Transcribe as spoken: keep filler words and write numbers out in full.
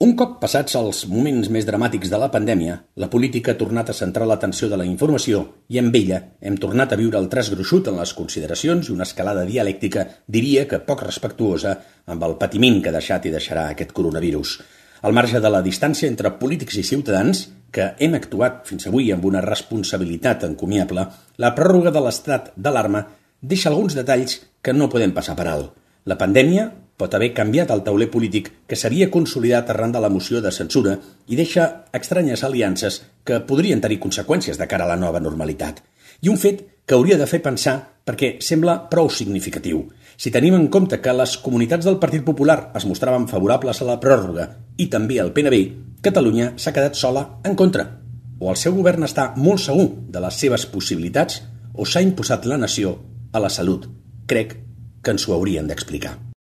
Un cop passats els moments més dramàtics de la pandèmia, la política ha tornat a centrar l'atenció de la informació i amb ella hem tornat a viure el traç gruixut en les consideracions i una escalada dialèctica, diria que poc respectuosa, amb el patiment que ha deixat i deixarà aquest coronavirus. Al marge de la distància entre polítics i ciutadans, que hem actuat fins avui amb una responsabilitat encomiable, la pròrroga de l'estat d'alarma deixa alguns detalls que no podem passar per alt. La pandèmia pot haver canviat el tauler polític que s'havia consolidat arran de la moció de censura i deixa estranyes aliances que podrien tenir conseqüències de cara a la nova normalitat. I un fet que hauria de fer pensar perquè sembla prou significatiu. Si tenim en compte que les comunitats del Partit Popular es mostraven favorables a la pròrroga i també al P N B, Catalunya s'ha quedat sola en contra. O el seu govern està molt segur de les seves possibilitats o s'ha imposat la nació a la salut. Crec que ens ho haurien d'explicar.